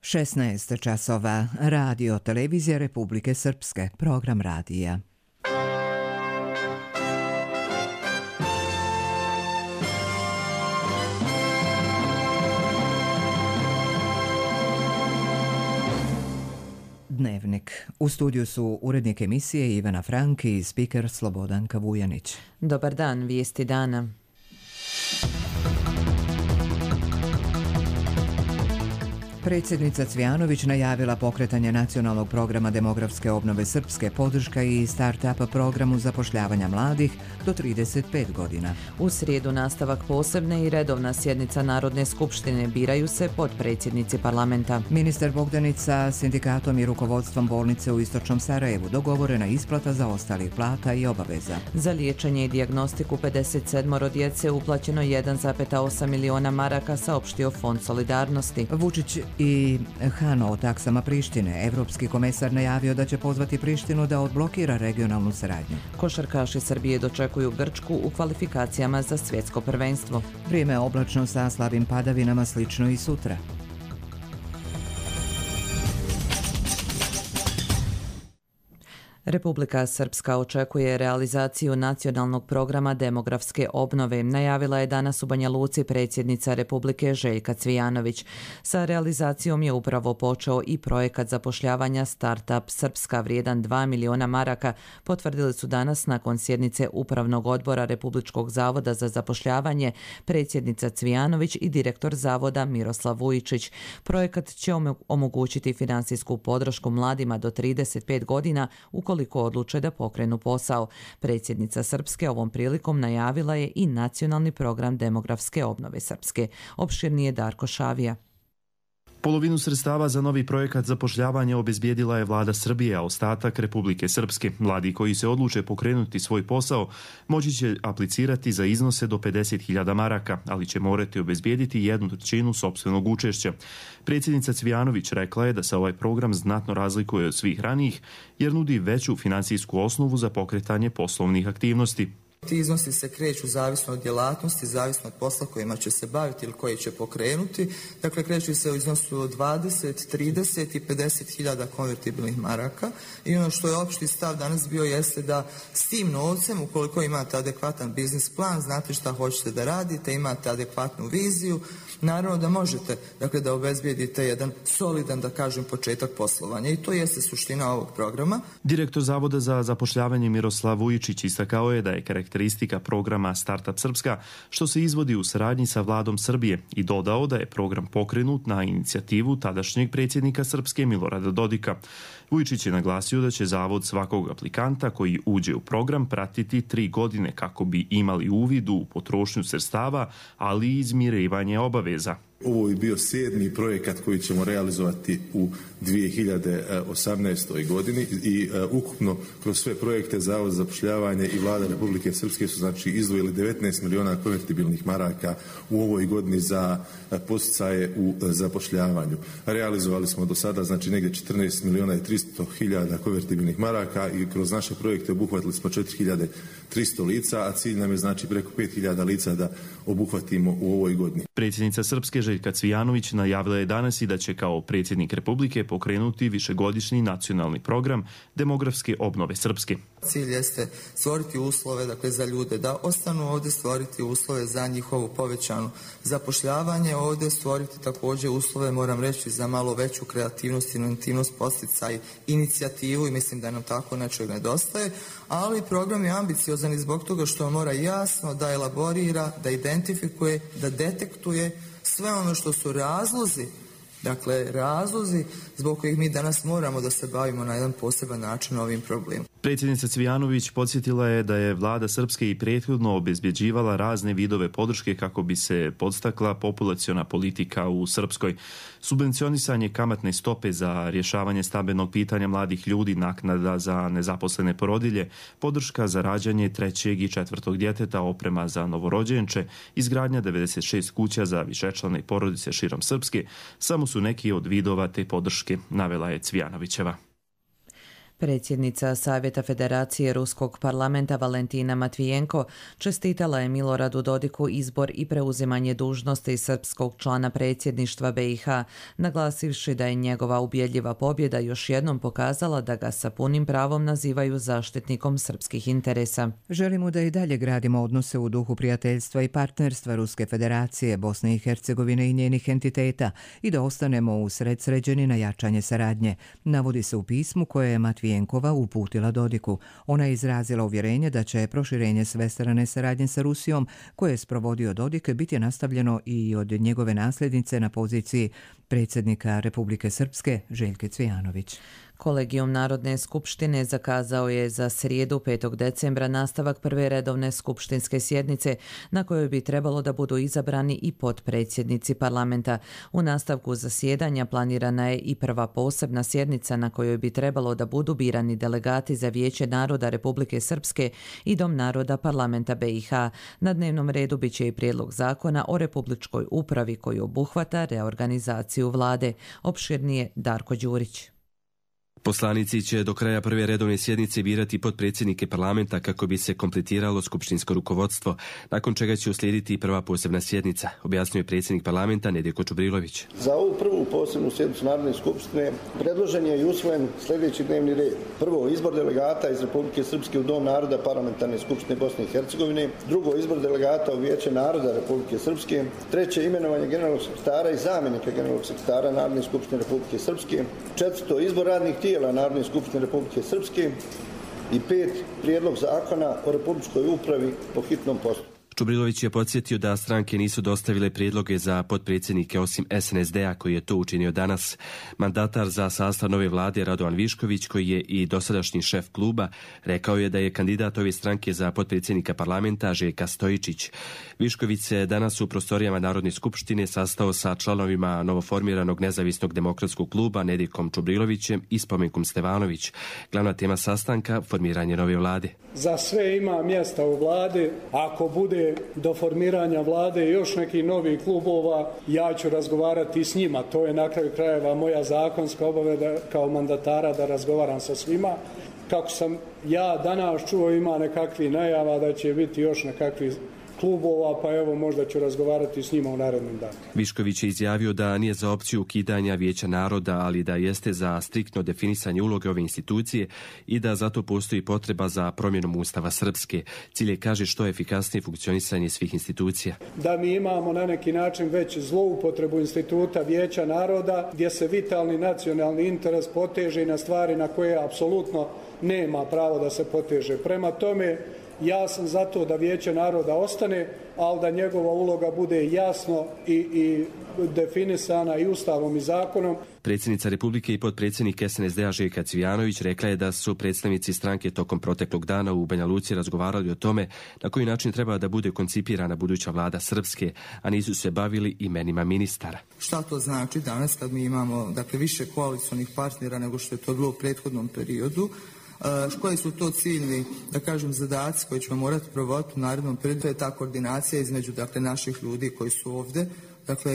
16 časova. Radio Televizija Republike Srpske. Program radija. Dnevnik. U studiju su urednik emisije Ivana Frank i spiker Slobodanka Vujanić. Dobar dan, vijesti dana. Predsjednica Cvijanović najavila pokretanje nacionalnog programa demografske obnove Srpske, podrška i start-up programu zapošljavanja mladih do 35 godina. U srijedu nastavak posebne i redovna sjednica Narodne skupštine, biraju se potpredsjednici parlamenta. Ministar Bogdanić sa sindikatom i rukovodstvom bolnice u Istočnom Sarajevu, dogovorena isplata zaostalih plata i obaveza. Za liječenje i dijagnostiku 57 djece uplaćeno 1,8 miliona maraka, saopštio Fond solidarnosti. Vučić i Hano o taksama Prištine. Evropski komesar najavio da će pozvati Prištinu da odblokira regionalnu saradnju. Košarkaši Srbije dočekuju Grčku u kvalifikacijama za svjetsko prvenstvo. Vrijeme oblačno sa slabim padavinama, slično i sutra. Republika Srpska očekuje realizaciju nacionalnog programa demografske obnove. Najavila je danas u Banja Luci predsjednica Republike Željka Cvijanović. Sa realizacijom je upravo počeo i projekat zapošljavanja Startup Srpska vrijedan 2 miliona maraka, potvrdili su danas nakon sjednice Upravnog odbora Republičkog zavoda za zapošljavanje predsjednica Cvijanović i direktor zavoda Miroslav Vujčić. Projekat će omogućiti finansijsku podršku mladima do 35 godina ukoliko odluče da pokrenu posao. Predsjednica Srpske ovom prilikom najavila je i nacionalni program demografske obnove Srpske. Opširnije Darko Šavija. Polovinu sredstava za novi projekat zapošljavanja obezbijedila je vlada Srbije, a ostatak Republike Srpske. Mladi koji se odluče pokrenuti svoj posao moći će aplicirati za iznose do 50.000 maraka, ali će morati obezbijediti 1/3 sopstvenog učešća. Predsjednica Cvijanović rekla je da se ovaj program znatno razlikuje od svih ranijih jer nudi veću finansijsku osnovu za pokretanje poslovnih aktivnosti. Ti iznosi se kreću zavisno od djelatnosti, zavisno od posla kojima će se baviti ili koji će pokrenuti. Dakle, kreću se u iznosu od 20, 30 i 50.000 konvertibilnih maraka. I ono što je opšti stav danas bio jeste da s tim novcem, ukoliko imate adekvatan biznis plan, znate šta hoćete da radite, imate adekvatnu viziju, naravno da možete, dakle, da obezbijedite jedan solidan, da kažem, početak poslovanja. I to jeste suština ovog programa. Direktor Zavoda za zapošljavanje Miroslav Vujčić istakao je da je karakteristika programa Startup Srpska što se izvodi u saradnji sa vladom Srbije i dodao da je program pokrenut na inicijativu tadašnjeg predsjednika Srpske Milorada Dodika. Vujčić je naglasio da će zavod svakog aplikanta koji uđe u program pratiti 3 godine kako bi imali uvid u potrošnju sredstava, ali i izmirivanje obaveza. Ovo je bio 7. projekat koji ćemo realizovati u 2018. godini i ukupno kroz sve projekte Zavod za zapošljavanje i vlada Republike Srpske su znači izdvojili 19 miliona konvertibilnih maraka u ovoj godini za podsticaje u zapošljavanju. Realizovali smo do sada znači negdje 14 miliona i 300 hiljada konvertibilnih maraka i kroz naše projekte obuhvatili smo 4.300 lica, a cilj nam je znači preko 5.000 lica da obuhvatimo u ovoj godini. Predsjednica Srpske Željka Cvijanović najavila je danas i da će kao predsjednik Republike pokrenuti višegodišnji nacionalni program demografske obnove Srpske. Cilj jeste stvoriti uslove, dakle, za ljude da ostanu ovdje, stvoriti uslove za njihovu povećanu zapošljavanje ovdje, stvoriti također uslove, moram reći, za malo veću kreativnost, inovativnost, posticaj, inicijativu i mislim da nam tako nečeg nedostaje, ali program je ambiciozan i zbog toga što mora jasno da elaborira, da identifikuje, da detektuje sve ono što su razlozi, dakle razlozi zbog kojih mi danas moramo da se bavimo na jedan poseban način ovim problemom. Predsjednica Cvijanović podsjetila je da je vlada Srpske i prethodno obezbjeđivala razne vidove podrške kako bi se podstakla populaciona politika u Srpskoj. Subvencionisanje kamatne stope za rješavanje stambenog pitanja mladih ljudi, naknada za nezaposlene porodilje, podrška za rađanje 3. i 4. djeteta, oprema za novorođenče, izgradnja 96 kuća za višečlane porodice širom Srpske, samo su neki od vidova te podrške, navela je Cvijanovićeva. Predsjednica Savjeta Federacije Ruskog parlamenta Valentina Matvijenko čestitala je Miloradu Dodiku izbor i preuzimanje dužnosti srpskog člana predsjedništva BiH, naglasivši da je njegova ubjedljiva pobjeda još jednom pokazala da ga sa punim pravom nazivaju zaštitnikom srpskih interesa. Želimo da i dalje gradimo odnose u duhu prijateljstva i partnerstva Ruske federacije, Bosne i Hercegovine i njenih entiteta i da ostanemo usredsređeni na jačanje saradnje, navodi se u pismu koje je Matvijenkova uputila Dodiku. Ona je izrazila uvjerenje da će proširenje svestrane saradnje sa Rusijom, koje je sprovodio Dodik, biti nastavljeno i od njegove nasljednice na poziciji predsjednika Republike Srpske Željke Cvijanović. Kolegijum Narodne skupštine zakazao je za srijedu 5. decembra nastavak prve redovne skupštinske sjednice na kojoj bi trebalo da budu izabrani i potpredsjednici parlamenta. U nastavku zasjedanja planirana je i prva posebna sjednica na kojoj bi trebalo da budu birani delegati za Vijeće naroda Republike Srpske i Dom naroda parlamenta BiH. Na dnevnom redu bit će i prijedlog zakona o republičkoj upravi koji obuhvata reorganizaciju vlade. Opširnije Darko Đurić. Poslanici će do kraja prve redovne sjednice birati potpredsjednike parlamenta kako bi se kompletiralo skupštinsko rukovodstvo, nakon čega će uslijediti i prva posebna sjednica, objasnio je predsjednik parlamenta Nedjeljko Čubrilović. Za ovu prvu posebnu sjednicu Narodne skupštine predložen je i usvojen sljedeći dnevni red. Prvo, izbor delegata iz Republike Srpske u Dom naroda parlamentarne skupštine Bosne i Hercegovine. Drugo, izbor delegata u Vijeće naroda Republike Srpske. Treće, imenovanje generalnog sekretara i zamjenika generalnog sekretara Narodne skupštine Republike Srpske. Četvrto, izbor radnih tijela Narodne skupštine Republike Srpske i 5. prijedlog zakona o republičkoj upravi po hitnom postupku. Čubrilović je podsjetio da stranke nisu dostavile prijedloge za potpredsjednike osim SNSD-a koji je to učinio danas. Mandatar za sastav nove vlade Radovan Višković, koji je i dosadašnji šef kluba, rekao je da je kandidat ove stranke za potpredsjednika parlamenta Željka Stojičić. Višković se danas u prostorijama Narodne skupštine sastao sa članovima novoformiranog nezavisnog demokratskog kluba Nedjeljkom Čubrilovićem i Spomenkom Stevanović. Glavna tema sastanka formiranje nove vlade. Za sve ima mjesta u vladi. Ako bude do formiranja vlade još nekih novih klubova, ja ću razgovarati s njima. To je na kraju krajeva moja zakonska obaveza kao mandatara da razgovaram sa svima. Kako sam ja danas čuo, ima nekakvih najava da će biti još nekakvih klubova, pa evo možda ću razgovarati s njima u narednom danu. Višković je izjavio da nije za opciju ukidanja Vijeća naroda, ali da jeste za striktno definisanje uloge ove institucije i da zato postoji potreba za promjenom Ustava Srpske. Cilj je, kaže, što efikasnije funkcionisanje svih institucija. Da mi imamo na neki način već zloupotrebu instituta Vijeća naroda, gdje se vitalni nacionalni interes poteže na stvari na koje apsolutno nema pravo da se poteže. Prema tome, ja sam za to da Vijeće naroda ostane, ali da njegova uloga bude jasno i definisana i Ustavom i zakonom. Predsjednica Republike i potpredsjednik SNSD-a Željka Cvijanović rekla je da su predstavnici stranke tokom proteklog dana u Banja Luci razgovarali o tome na koji način treba da bude koncipirana buduća vlada Srpske, a nisu se bavili imenima ministara. Šta to znači danas kad mi imamo više koalicionih partnera nego što je to bilo u prethodnom periodu? Koji su to ciljni, zadaci koji ćemo morati provoditi u narednom periodu? To je ta koordinacija između naših ljudi koji su ovdje,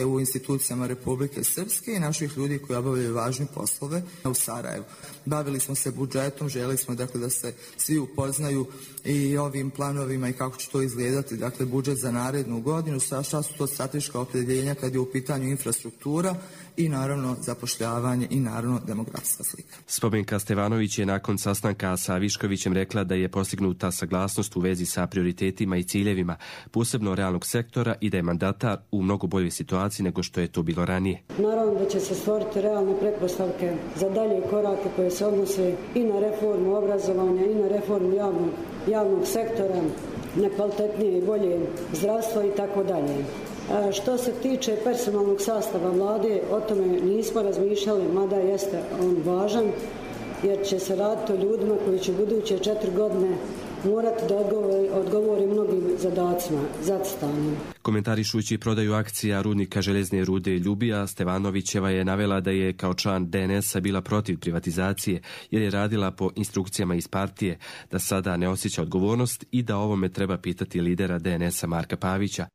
u institucijama Republike Srpske i naših ljudi koji obavljaju važne poslove u Sarajevu. Bavili smo se budžetom, željeli smo da se svi upoznaju i ovim planovima i kako će to izgledati, budžet za narednu godinu, šta su to strateška opredjeljenja kad je u pitanju infrastruktura i naravno zapošljavanje i naravno demografska slika. Spomenka Stevanović je nakon sastanka sa Viškovićem rekla da je postignuta saglasnost u vezi sa prioritetima i ciljevima, posebno realnog sektora, i da je mandatar u mnogo boljoj situaciji nego što je to bilo ranije. Naravno da će se stvoriti realne pretpostavke za dalje korake koje se odnose i na reformu obrazovanja i na reformu javnog sektora, na kvalitetnije i bolje zdravstvo i tako dalje. Što se tiče personalnog sastava vlade, o tome nismo razmišljali, mada jeste on važan, jer će se raditi o ljudima koji će buduće 4 godine morati da odgovori mnogim zadacima, zacrtanim. Komentarišući prodaju akcija rudnika željezne rude Ljubija, Stevanovićeva je navela da je kao član DNS-a bila protiv privatizacije jer je radila po instrukcijama iz partije, da sada ne osjeća odgovornost i da ovome treba pitati lidera DNS-a Marka Pavića.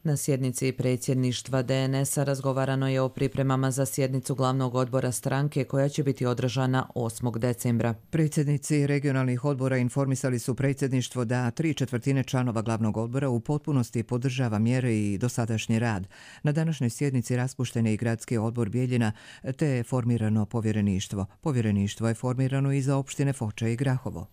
Na sjednici predsjedništva DNS-a razgovarano je o pripremama za sjednicu glavnog odbora stranke koja će biti održana 8. decembra. Predsjednici regionalnih odbora informisali su predsjedništvo da 3/4 članova glavnog odbora u potpunosti podržava mjere i dosadašnji rad. Na današnjoj sjednici raspušten je i gradski odbor Bijeljina te je formirano povjereništvo. Povjereništvo je formirano i za opštine Foča i Grahovo.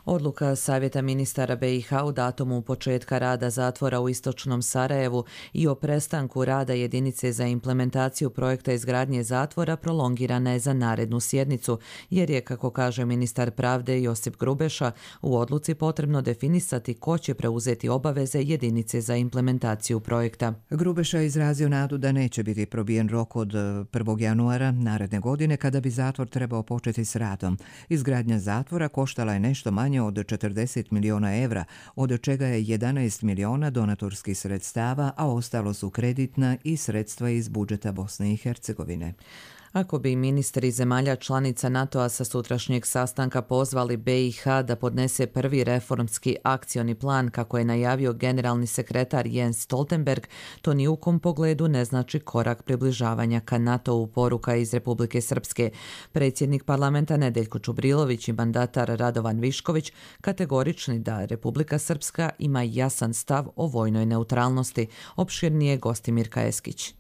Odluka Savjeta ministara BiH u datumu početka rada zatvora u istočnom Sarajevu i o prestanku rada jedinice za implementaciju projekta izgradnje zatvora prolongirana je za narednu sjednicu, jer je, kako kaže ministar pravde Josip Grubeša, u odluci potrebno definisati ko će preuzeti obaveze jedinice za implementaciju projekta. Grubeša je izrazio nadu da neće biti probijen rok od 1. januara naredne godine kada bi zatvor trebao početi s radom. Izgradnja zatvora koštala je nešto manje od 40 miliona evra, od čega je 11 miliona donatorskih sredstava, a ostalo su kreditna i sredstva iz budžeta Bosne i Hercegovine. Ako bi ministri zemalja članica NATO-a sa sutrašnjeg sastanka pozvali BiH da podnese prvi reformski akcioni plan, kako je najavio generalni sekretar Jens Stoltenberg, to ni u kom pogledu ne znači korak približavanja ka NATO-u, poruka iz Republike Srpske. Predsjednik parlamenta Nedeljko Čubrilović i mandatar Radovan Višković kategorični da Republika Srpska ima jasan stav o vojnoj neutralnosti, opširnije Gostimir Kajeskić.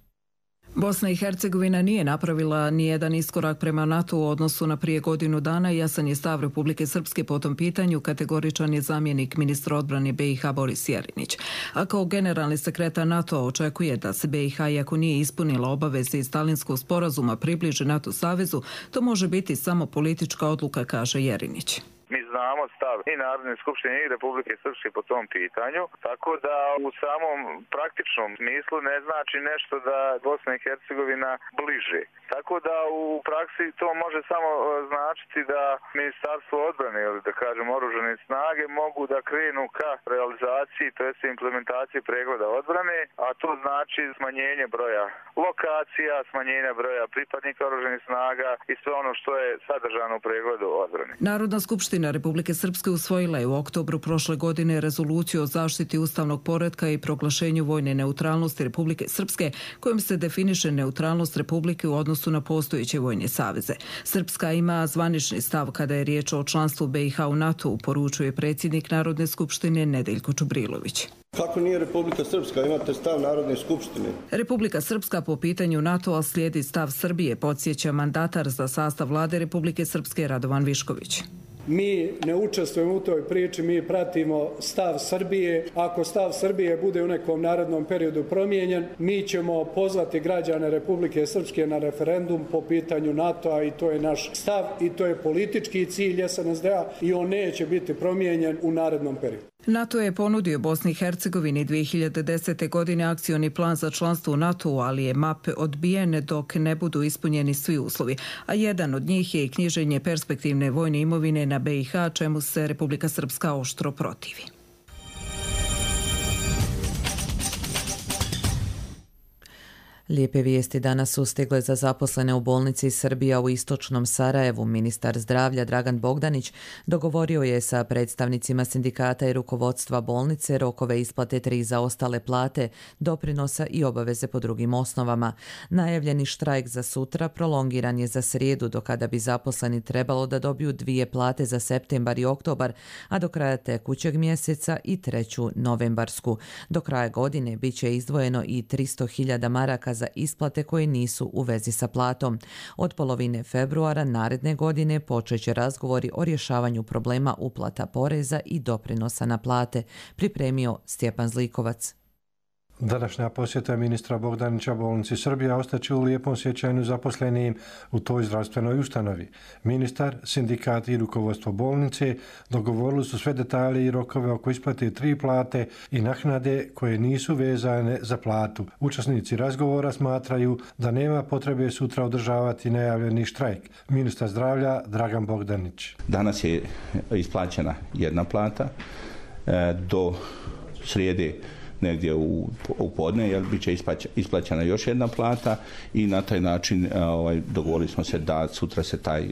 Bosna i Hercegovina nije napravila nijedan iskorak prema NATO u odnosu na prije godinu dana i jasan je stav Republike Srpske po tom pitanju, kategoričan je zamjenik ministra odbrane BiH Boris Jerinić. A kao generalni sekretar NATO očekuje da se BiH, iako nije ispunila obaveze iz Stalinskog sporazuma, približi NATO savezu, to može biti samo politička odluka, kaže Jerinić. Mi znamo stav i Narodne skupštine i Republike Srpske po tom pitanju, tako da u samom praktičnom smislu ne znači nešto da Bosna i Hercegovina bliže. Tako da u praksi to može samo značiti da Ministarstvo odbrane ili da kažem oružane snage mogu da krenu ka realizaciji, to jest implementaciji pregleda odbrane, a to znači smanjenje broja lokacija, smanjenje broja pripadnika oružanih snaga i sve ono što je sadržano u pregledu odbrane. Narodna skupština Republike Srpske usvojila je u oktobru prošle godine rezoluciju o zaštiti ustavnog poretka i proglašenju vojne neutralnosti Republike Srpske, kojom se definiše neutralnost Republike u odnosu na postojeće vojne saveze. Srpska ima zvanični stav kada je riječ o članstvu BiH u NATO-u, poručuje predsjednik Narodne skupštine Nedeljko Čubrilović. Kako nije Republika Srpska? Imate stav Narodne skupštine. Republika Srpska po pitanju NATO-a slijedi stav Srbije, podsjeća mandatar za sastav vlade Republike Srpske Radovan Višković. Mi ne učestvujemo u toj priči, mi pratimo stav Srbije. Ako stav Srbije bude u nekom narednom periodu promijenjen, mi ćemo pozvati građane Republike Srpske na referendum po pitanju NATO-a i to je naš stav i to je politički cilj SNSD-a i on neće biti promijenjen u narednom periodu. NATO je ponudio Bosni i Hercegovini 2010. godine akcioni plan za članstvo u NATO-u, ali je MAP odbijen dok ne budu ispunjeni svi uslovi, a jedan od njih je i knjiženje perspektivne vojne imovine na BiH, čemu se Republika Srpska oštro protivi. Lijepe vijesti danas su stigle za zaposlene u bolnici Srbija u istočnom Sarajevu. Ministar zdravlja Dragan Bogdanić dogovorio je sa predstavnicima sindikata i rukovodstva bolnice rokove isplate 3 zaostale plate, doprinosa i obaveze po drugim osnovama. Najavljeni štrajk za sutra prolongiran je za srijedu, do kada bi zaposleni trebalo da dobiju 2 plate za septembar i oktobar, a do kraja tekućeg mjeseca i 3. novembarsku. Do kraja godine bit će izdvojeno i 300.000 maraka za isplate koje nisu u vezi sa platom. Od polovine februara naredne godine počeće razgovori o rješavanju problema uplata poreza i doprinosa na plate, pripremio Stjepan Zlikovac. Današnja posjeta ministra Bogdanića bolnici Srbija ostaće u lijepom sjećanju zaposlenim u toj zdravstvenoj ustanovi. Ministar, sindikat i rukovodstvo bolnice dogovorili su sve detalje i rokove oko isplate 3 plate i naknade koje nisu vezane za platu. Učesnici razgovora smatraju da nema potrebe sutra održavati najavljeni štrajk. Ministar zdravlja Dragan Bogdanić. Danas je isplaćena 1 plata, do srijede negdje u podne, jer bit će isplaćena još 1 plata i na taj način dogovorili smo se da sutra se taj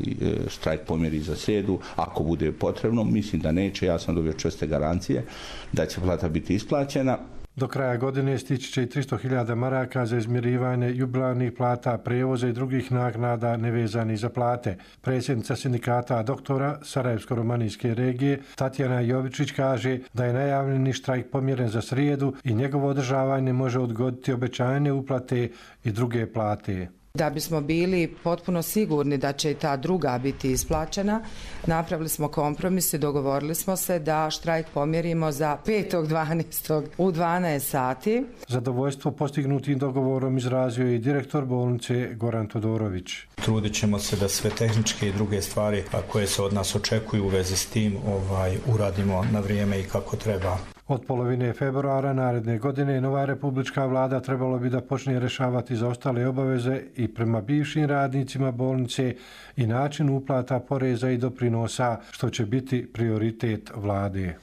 štrajk pomjeri za srijedu. Ako bude potrebno, mislim da neće, ja sam dobio čvrste garancije da će plata biti isplaćena. Do kraja godine stići će i 300.000 maraka za izmirivanje jubilarnih plata, prijevoza i drugih naknada nevezanih za plate. Predsjednica sindikata doktora Sarajevsko-romanijske regije Tatjana Jovičić kaže da je najavljeni štrajk pomjeren za srijedu i njegovo održavanje može odgoditi obećajne uplate i druge plate. Da bismo bili potpuno sigurni da će i ta druga biti isplaćena, napravili smo kompromis i dogovorili smo se da štrajk pomjerimo za 5.12. u 12 sati. Zadovoljstvo postignutim dogovorom izrazio je i direktor bolnice Goran Todorović. Trudit ćemo se da sve tehničke i druge stvari koje se od nas očekuju u vezi s tim uradimo na vrijeme i kako treba. Od polovine februara naredne godine nova republička vlada trebalo bi da počne rješavati zaostale obaveze i prema bivšim radnicima bolnice i način uplata poreza i doprinosa, što će biti prioritet vlade.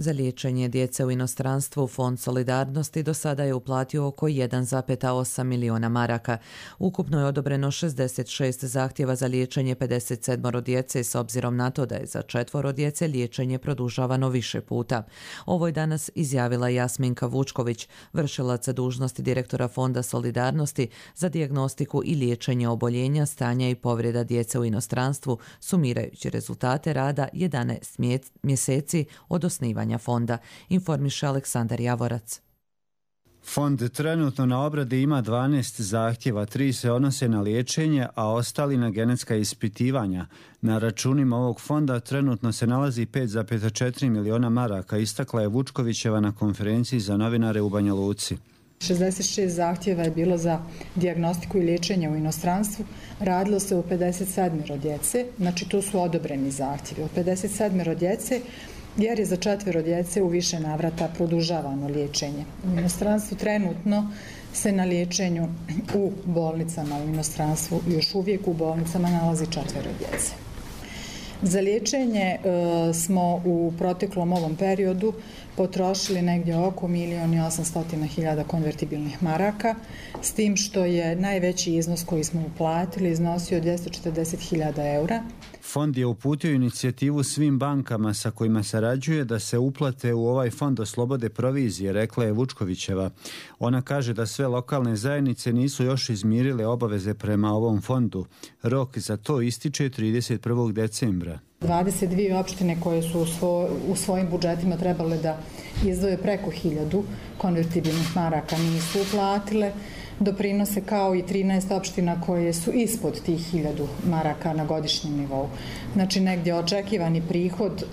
Za liječenje djece u inostranstvu Fond solidarnosti do sada je uplatio oko 1,8 miliona maraka. Ukupno je odobreno 66 zahtjeva za liječenje 57 djece s obzirom na to da je za 4 djece liječenje produžavano više puta. Ovo je danas izjavila Jasminka Vučković, vršilac dužnosti direktora Fonda solidarnosti za dijagnostiku i liječenje oboljenja, stanja i povreda djece u inostranstvu, sumirajući rezultate rada 11 mjeseci od osnivanja fonda, informiše Aleksandar Javorac. Fond trenutno na obradi ima 12 zahtjeva, 3 se odnose na liječenje, a ostali na genetska ispitivanja. Na računima ovog fonda trenutno se nalazi 5,4 miliona maraka, istakla je Vučkovićeva na konferenciji za novinare u Banja Luci. 66 zahtjeva je bilo za dijagnostiku i liječenje u inostranstvu. Radilo se o 57 djece, znači to su odobreni zahtjevi. Od 57 djece, jer je za 4 djece u više navrata produžavano liječenje. U inostranstvu trenutno se na liječenju u bolnicama u inostranstvu još uvijek u bolnicama nalazi 4 djece. Za liječenje smo u proteklom ovom periodu potrošili negdje oko 1.800.000 konvertibilnih maraka, s tim što je najveći iznos koji smo uplatili iznosio 240.000 eura. Fond je uputio inicijativu svim bankama sa kojima sarađuje da se uplate u ovaj fond oslobode provizije, rekla je Vučkovićeva. Ona kaže da sve lokalne zajednice nisu još izmirile obaveze prema ovom fondu. Rok za to ističe 31. decembra. 22 opštine koje su u svojim budžetima trebale da izdvoje preko 1000 konvertibilnih maraka nisu uplatile doprinose, kao i 13 opština koje su ispod tih 1000 maraka na godišnjem nivou. Znači negdje očekivani prihod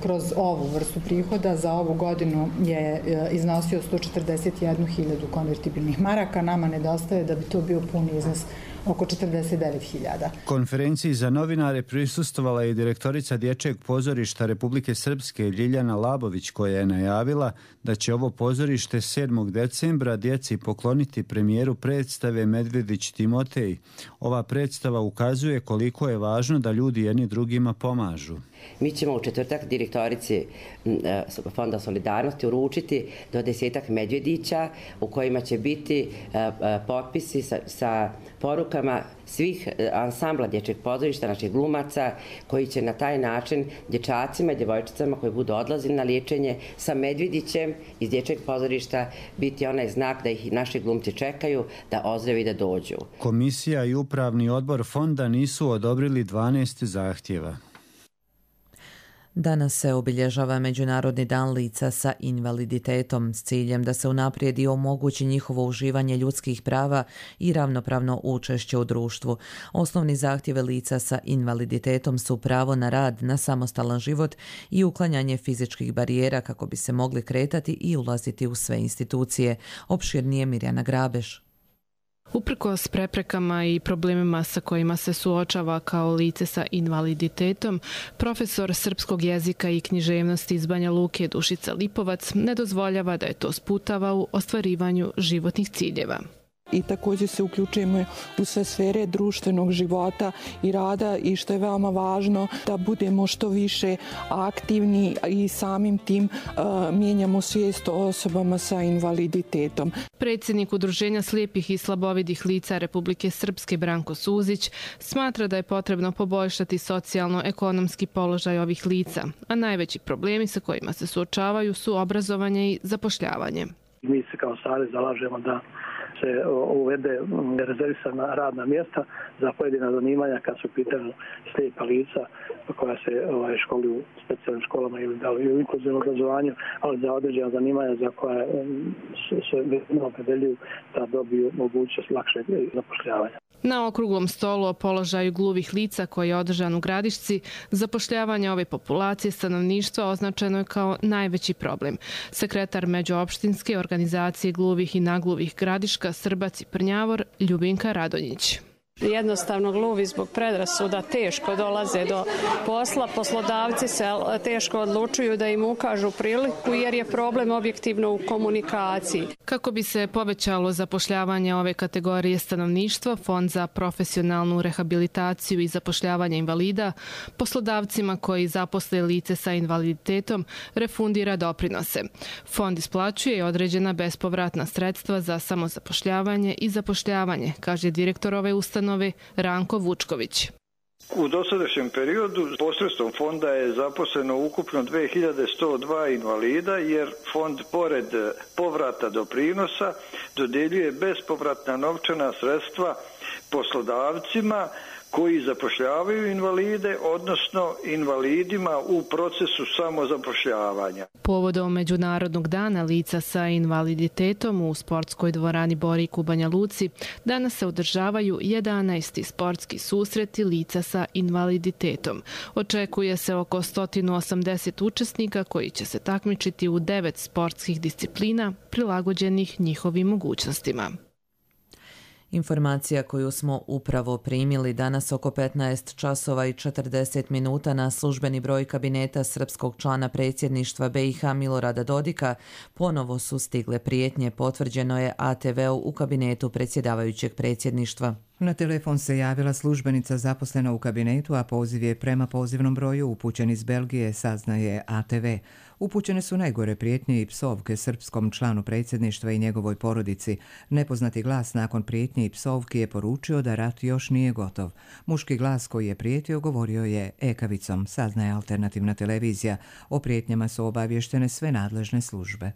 kroz ovu vrstu prihoda za ovu godinu je iznosio 141.000 konvertibilnih maraka. Nama nedostaje da bi to bio puni iznos oko 49.000. Konferenciji za novinare prisustvovala je direktorica Dječjeg pozorišta Republike Srpske Ljiljana Labović, koja je najavila da će ovo pozorište 7. decembra djeci pokloniti premijeru predstave Medvedić Timotej. Ova predstava ukazuje koliko je važno da ljudi jedni drugima pomažu. Mi ćemo u četvrtak direktorici Fonda solidarnosti uručiti do 10 medvjedića u kojima će biti potpisi sa porukama svih ansambla Dječjeg pozorišta, naših glumaca, koji će na taj način dječacima i djevojčicama koji budu odlazili na liječenje sa medvjedićem iz Dječjeg pozorišta biti onaj znak da ih naši glumci čekaju, da ozdrave i da dođu. Komisija i upravni odbor fonda nisu odobrili 12 zahtjeva. Danas se obilježava Međunarodni dan lica sa invaliditetom s ciljem da se unaprijedi i omogući njihovo uživanje ljudskih prava i ravnopravno učešće u društvu. Osnovni zahtjeve lica sa invaliditetom su pravo na rad, na samostalan život i uklanjanje fizičkih barijera kako bi se mogli kretati i ulaziti u sve institucije. Opširnije Mirjana Grabeš. Uprkos preprekama i problemima sa kojima se suočava kao lice sa invaliditetom, profesor srpskog jezika i književnosti iz Banja Luke Dušica Lipovac ne dozvoljava da je to sputava u ostvarivanju životnih ciljeva. I također se uključujemo u sve sfere društvenog života i rada i što je veoma važno da budemo što više aktivni i samim tim mijenjamo svijest o osobama sa invaliditetom. Predsjednik Udruženja slijepih i slabovidih lica Republike Srpske Branko Suzić smatra da je potrebno poboljšati socijalno-ekonomski položaj ovih lica, a najveći problemi sa kojima se suočavaju su obrazovanje i zapošljavanje. Mi se kao savez zalažemo da se uvede rezervisana radna mjesta za pojedina zanimanja kad su pitanje slijepa lica koja se školuju u specijalnim školama ili da li u inkluzivnom obrazovanju, ali za određena zanimanja za koja se opredeljuju da dobiju mogućnost lakšeg zapošljavanja. Na okruglom stolu o položaju gluvih lica koji je održan u Gradišci, zapošljavanje ove populacije stanovništva označeno je kao najveći problem. Sekretar Međuopštinske organizacije gluvih i nagluvih Gradiška, Srbac i Prnjavor, Ljubinka Radonjić. Jednostavno gluvi zbog predrasuda teško dolaze do posla, poslodavci se teško odlučuju da im ukažu priliku jer je problem objektivno u komunikaciji. Kako bi se povećalo zapošljavanje ove kategorije stanovništva, Fond za profesionalnu rehabilitaciju i zapošljavanje invalida poslodavcima koji zaposle lice sa invaliditetom refundira doprinose. Fond isplaćuje određena bespovratna sredstva za samozapošljavanje i zapošljavanje, kaže direktor ove ustanove Ranko Vučković. U dosadašnjem periodu posredstvom fonda je zaposleno ukupno 2102 invalida jer fond pored povrata doprinosa dodjeljuje bespovratna novčana sredstva poslodavcima koji zapošljavaju invalide, odnosno invalidima u procesu samozapošljavanja. Povodom Međunarodnog dana lica sa invaliditetom u sportskoj dvorani Borik u Banja Luci danas se održavaju 11. sportski susreti lica sa invaliditetom. Očekuje se oko 180 učesnika koji će se takmičiti u 9 sportskih disciplina prilagođenih njihovim mogućnostima. Informacija koju smo upravo primili danas oko 15 časova i 40 minuta na službeni broj kabineta srpskog člana predsjedništva BiH Milorada Dodika ponovo su stigle prijetnje, potvrđeno je ATV-u u kabinetu predsjedavajućeg predsjedništva. Na telefon se javila službenica zaposlena u kabinetu, a poziv je prema pozivnom broju upućen iz Belgije, saznaje ATV. Upućene su najgore prijetnje i psovke srpskom članu predsjedništva i njegovoj porodici. Nepoznati glas nakon prijetnje i psovki je poručio da rat još nije gotov. Muški glas koji je prijetio govorio je ekavicom, saznaje alternativna televizija. O prijetnjama su obavještene sve nadležne službe.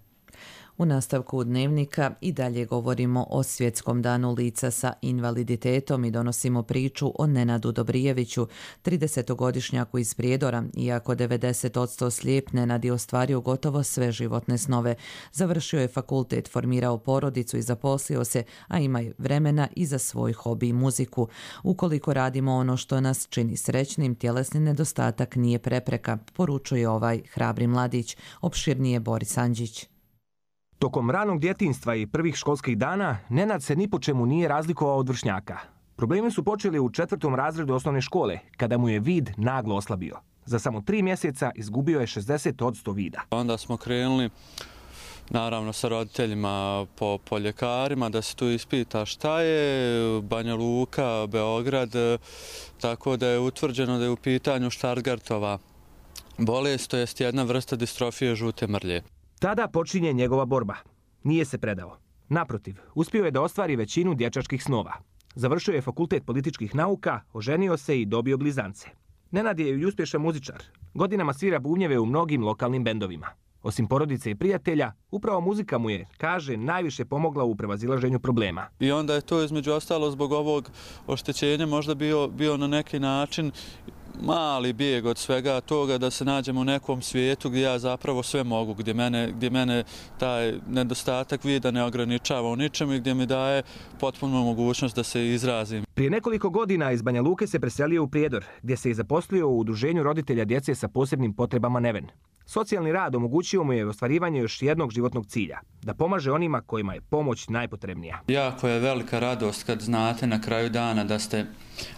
U nastavku dnevnika i dalje govorimo o Svjetskom danu lica sa invaliditetom i donosimo priču o Nenadu Dobrijeviću, 30-godišnjaku iz Prijedora. Iako 90% slijep, Nenad je ostvario gotovo sve životne snove. Završio je fakultet, formirao porodicu i zaposlio se, a ima vremena i za svoj hobi i muziku. Ukoliko radimo ono što nas čini srećnim, tjelesni nedostatak nije prepreka, poručuje ovaj hrabri mladić. Opširnije Boris Andžić. Tokom ranog djetinjstva i prvih školskih dana, Nenad se ni po čemu nije razlikovao od vršnjaka. Problemi su počeli u 4. razredu osnovne škole, kada mu je vid naglo oslabio. Za samo 3 mjeseca izgubio je 60% vida. Onda smo krenuli, naravno sa roditeljima po ljekarima, da se tu ispita šta je, Banja Luka, Beograd, tako da je utvrđeno da je u pitanju Stargardtova bolest, to jest jedna vrsta distrofije žute mrlje. Tada počinje njegova borba. Nije se predao. Naprotiv, uspio je da ostvari većinu dječačkih snova. Završio je fakultet političkih nauka, oženio se i dobio blizance. Nenad je i uspješan muzičar. Godinama svira bubnjeve u mnogim lokalnim bendovima. Osim porodice i prijatelja, upravo muzika mu je, kaže, najviše pomogla u prevazilaženju problema. I onda je to između ostalo zbog ovog oštećenja možda bio na neki način mali bijeg od svega toga, da se nađem u nekom svijetu gdje ja zapravo sve mogu, gdje mene taj nedostatak vida ne ograničava u ničemu i gdje mi daje potpuno mogućnost da se izrazim. Prije nekoliko godina iz Banja Luke se preselio u Prijedor, gdje se i zaposlio u udruženju roditelja djece sa posebnim potrebama Neven. Socijalni rad omogućio mu je ostvarivanje još jednog životnog cilja, da pomaže onima kojima je pomoć najpotrebnija. Jako je velika radost kad znate na kraju dana da ste,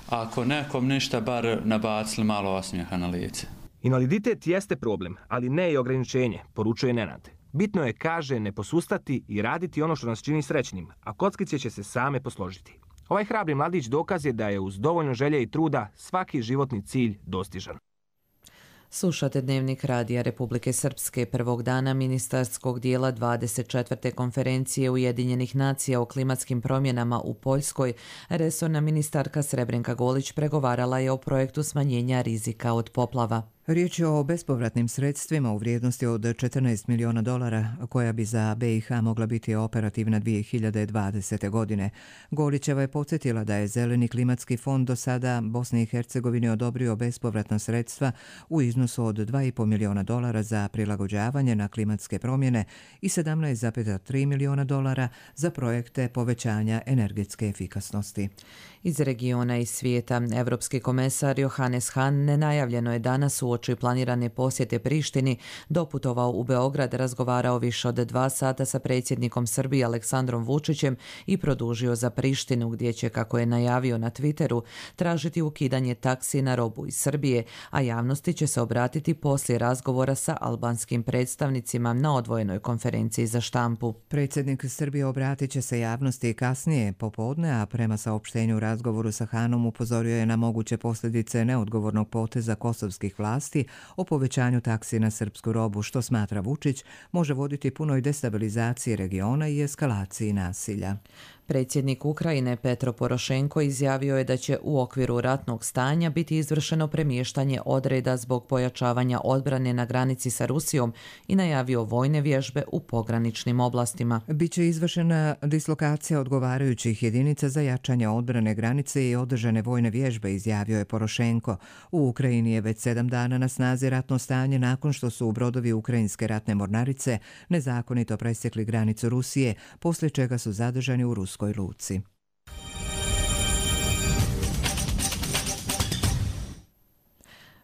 ako nekom ništa, bar nabacili malo osmijeha na lice. Invaliditet jeste problem, ali ne i ograničenje, poručuje Nenad. Bitno je, kaže, ne posustati i raditi ono što nas čini srećnim, a kockice će se same posložiti. Ovaj hrabri mladić dokaz je da je uz dovoljno želje i truda svaki životni cilj dostižan. Slušate Dnevnik Radija Republike Srpske prvog dana ministarskog dijela 24. konferencije Ujedinjenih nacija o klimatskim promjenama u Poljskoj. Resorna ministarka Srebrenka Golić pregovarala je o projektu smanjenja rizika od poplava. Riječ je o bespovratnim sredstvima u vrijednosti od $14 miliona koja bi za BiH mogla biti operativna 2020. godine. Golićeva je podsjetila da je Zeleni klimatski fond do sada Bosni i Hercegovini odobrio bespovratna sredstva u iznosu od $2,5 miliona za prilagođavanje na klimatske promjene i $17,3 miliona za projekte povećanja energetske efikasnosti. Iz regiona i svijeta, Evropski komesar Johannes Hahn nenajavljeno je danas uoči planirane posjete Prištini doputovao u Beograd, razgovarao više od 2 sata sa predsjednikom Srbije Aleksandrom Vučićem i produžio za Prištinu, gdje će, kako je najavio na Twitteru, tražiti ukidanje taksi na robu iz Srbije, a javnosti će se obratiti poslije razgovora sa albanskim predstavnicima na odvojenoj konferenciji za štampu. Predsjednik Srbije obratit će se javnosti kasnije popodne, a prema saopštenju razgovoru sa Hanom upozorio je na moguće posljedice neodgovornog poteza kosovskih vlasti o povećanju taksi na srpsku robu, što smatra Vučić može voditi punoj destabilizaciji regiona i eskalaciji nasilja. Predsjednik Ukrajine Petro Porošenko izjavio je da će u okviru ratnog stanja biti izvršeno premještanje odreda zbog pojačavanja odbrane na granici sa Rusijom i najavio vojne vježbe u pograničnim oblastima. Biće izvršena dislokacija odgovarajućih jedinica za jačanje odbrane granice i održane vojne vježbe, izjavio je Porošenko. U Ukrajini je već 7 dana na snazi ratno stanje nakon što su brodovi ukrajinske ratne mornarice nezakonito presjekli granicu Rusije, poslije čega su zadržani u ruskoj luci.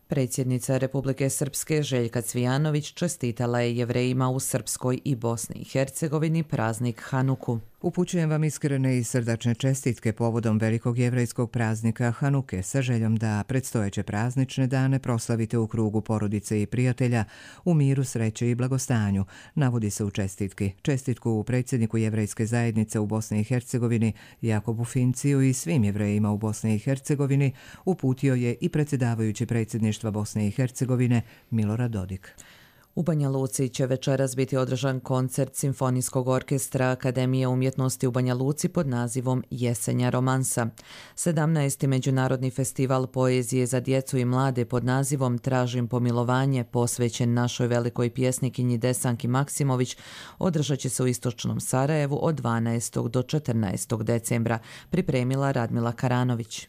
Predsjednica Republike Srpske Željka Cvijanović čestitala je Jevrejima u Srpskoj i Bosni i Hercegovini praznik Hanuku. Upućujem vam iskrene i srdačne čestitke povodom velikog jevrejskog praznika Hanuke sa željom da predstojeće praznične dane proslavite u krugu porodice i prijatelja u miru, sreće i blagostanju, navodi se u čestitki. Čestitku predsjedniku jevrejske zajednice u Bosni i Hercegovini Jakobu Finciju i svim Jevrejima u Bosni i Hercegovini uputio je i predsjedavajući predsjedništva Bosne i Hercegovine Milorad Dodik. U Banja Luci će večeras biti održan koncert Simfonijskog orkestra Akademije umjetnosti u Banja Luci pod nazivom Jesenja romansa. 17. Međunarodni festival poezije za djecu i mlade pod nazivom Tražim pomilovanje, posvećen našoj velikoj pjesnikinji Desanki Maksimović, održat će se u istočnom Sarajevu od 12. do 14. decembra, pripremila Radmila Karanović.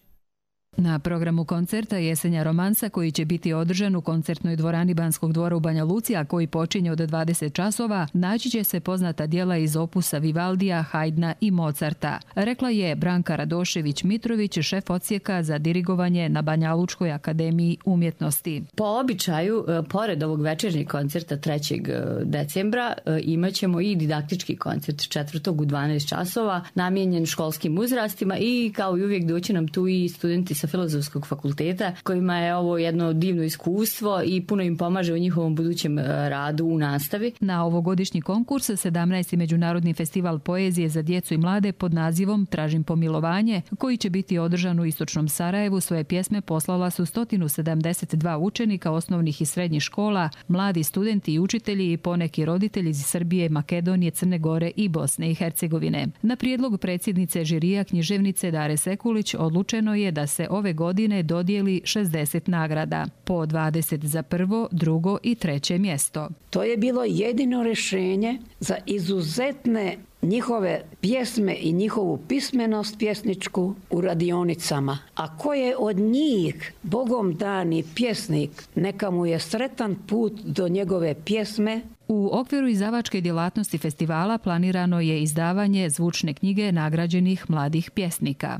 Na programu koncerta Jesenja romansa, koji će biti održan u koncertnoj dvorani Banskog dvora u Banja Luci, a koji počinje od 20 časova, naći će se poznata djela iz opusa Vivaldija, Haydna i Mozarta, rekla je Branka Radošević-Mitrović, šef odsjeka za dirigovanje na Banja Lučkoj akademiji umjetnosti. Po običaju, pored ovog večernjeg koncerta 3. decembra, imat ćemo i didaktički koncert 4. u 12 časova, namijenjen školskim uzrastima i kao i uvijek doći nam tu i studenti sa Filozofskog fakulteta, kojima je ovo jedno divno iskustvo i puno im pomaže u njihovom budućem radu u nastavi. Na ovogodišnji konkurs 17. Međunarodni festival poezije za djecu i mlade pod nazivom Tražim pomilovanje, koji će biti održan u istočnom Sarajevu, svoje pjesme poslala su 172 učenika osnovnih i srednjih škola, mladi studenti i učitelji i poneki roditelji iz Srbije, Makedonije, Crne Gore i Bosne i Hercegovine. Na prijedlog predsjednice žirija književnice Dare Sekulić odlučeno je da se ove godine dodijeli 60 nagrada, po 20 za prvo, drugo i treće mjesto. To je bilo jedino rješenje za izuzetne njihove pjesme i njihovu pismenost pjesničku u radionicama. A ko je od njih Bogom dani pjesnik, neka mu je sretan put do njegove pjesme. U okviru izdavačke djelatnosti festivala planirano je izdavanje zvučne knjige nagrađenih mladih pjesnika.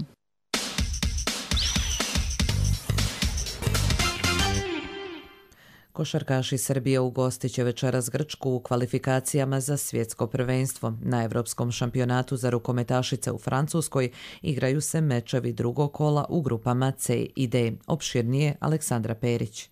Košarkaši Srbije ugostit će večeras Grčku u kvalifikacijama za svjetsko prvenstvo. Na Evropskom šampionatu za rukometašice u Francuskoj igraju se mečevi drugog kola u grupama C i D. Opširnije Aleksandra Perić.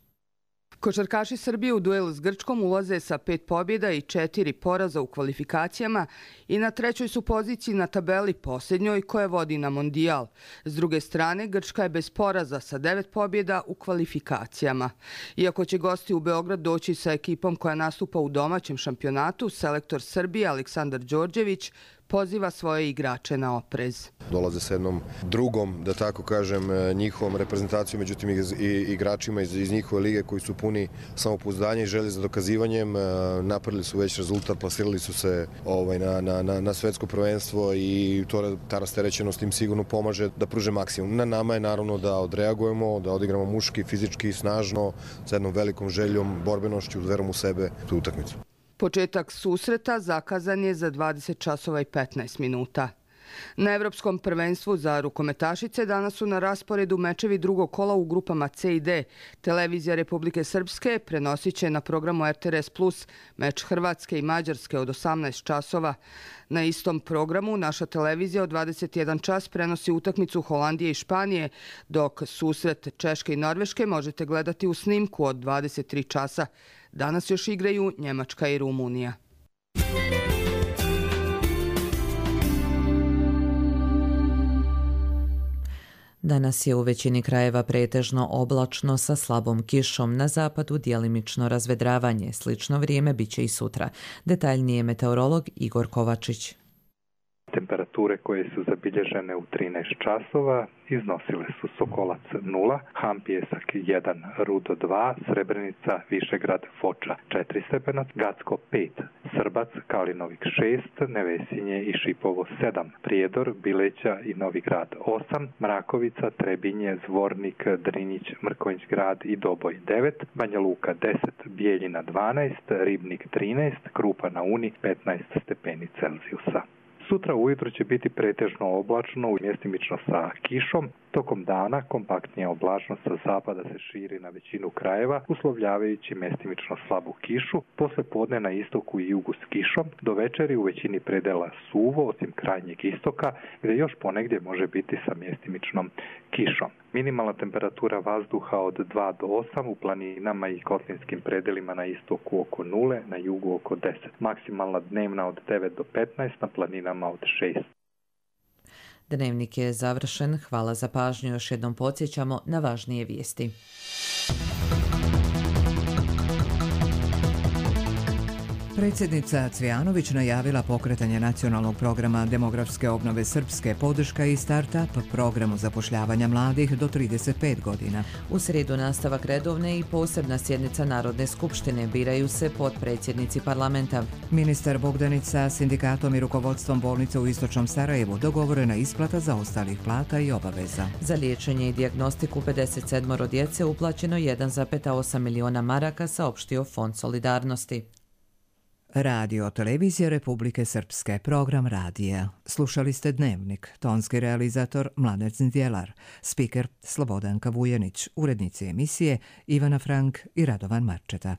Košarkaši Srbije u duelu s Grčkom ulaze sa 5 pobjeda i 4 poraza u kvalifikacijama i na 3. su poziciji na tabeli posljednjoj koja vodi na mondijal. S druge strane, Grčka je bez poraza sa 9 pobjeda u kvalifikacijama. Iako će gosti u Beograd doći sa ekipom koja nastupa u domaćem šampionatu, selektor Srbije Aleksandar Đorđević poziva svoje igrače na oprez. Dolaze sa jednom drugom, da tako kažem, njihovom reprezentacijom, međutim i igračima iz njihove lige koji su puni samopouzdanja i želje za dokazivanjem. Napravili su već rezultat, plasirali su se na svetsko prvenstvo i ta rasterećenost im sigurno pomaže da pruže maksimum. Na nama je naravno da odreagujemo, da odigramo muški, fizički, snažno, sa jednom velikom željom, borbenošću, verom u sebe tu utakmicu. Početak susreta zakazan je za 20 časova i 15 minuta. Na Evropskom prvenstvu za rukometašice danas su na rasporedu mečevi drugog kola u grupama C i D. Televizija Republike Srpske prenosit će na programu RTS Plus meč Hrvatske i Mađarske od 18 časova. Na istom programu naša televizija od 21 čas prenosi utakmicu Holandije i Španije, dok susret Češke i Norveške možete gledati u snimku od 23 časa. Danas još igraju Njemačka i Rumunija. Danas je u većini krajeva pretežno oblačno sa slabom kišom, na zapadu djelimično razvedravanje. Slično vrijeme biće i sutra. Detaljnije meteorolog Igor Kovačić. Temperature koje su zabilježene u 13 časova iznosile su Sokolac 0, Hampijesak 1, Rudo 2, Srebrenica, Višegrad, Foča 4 stepenac, Gacko 5, Srbac, Kalinovik 6, Nevesinje i Šipovo 7, Prijedor, Bileća i Novi Grad 8, Mrakovica, Trebinje, Zvornik, Drinjić, Mrkonjić Grad i Doboj 9, Banja Luka 10, Bijeljina 12, Ribnik 13, Krupa na Uni 15 stepeni Celzijusa. Sutra ujutro će biti pretežno oblačno, mjestimično sa kišom. Tokom dana kompaktnija oblačnost sa zapada se širi na većinu krajeva, uslovljavajući mjestimično slabu kišu. Posle podne na istoku i jugu s kišom, do večeri u većini predela suvo, osim krajnjeg istoka, gdje još ponegdje može biti sa mjestimičnom kišom. Minimalna temperatura vazduha od 2 do 8 u planinama i kotlinskim predelima na istoku oko 0, na jugu oko 10. Maksimalna dnevna od 9 do 15, na planinama od 6. Dnevnik je završen. Hvala za pažnju. Još jednom podsjećamo na važnije vijesti. Predsjednica Cvijanović najavila pokretanje nacionalnog programa demografske obnove Srpske, podrška i start-up programu zapošljavanja mladih do 35 godina. U srijedu nastavak redovne i posebna sjednica Narodne skupštine, biraju se potpredsjednici parlamenta. Ministar Bogdanić sa sindikatom i rukovodstvom bolnice u Istočnom Sarajevu, dogovorena isplata zaostalih plata i obaveza. Za liječenje i dijagnostiku 57 djece uplaćeno 1,8 miliona maraka, saopštio Fond solidarnosti. Radio televizija Republike Srpske, program radija. Slušali ste Dnevnik, tonski realizator Mladen Zdjelar, spiker Slobodanka Vujenić, urednici emisije Ivana Frank i Radovan Marčeta.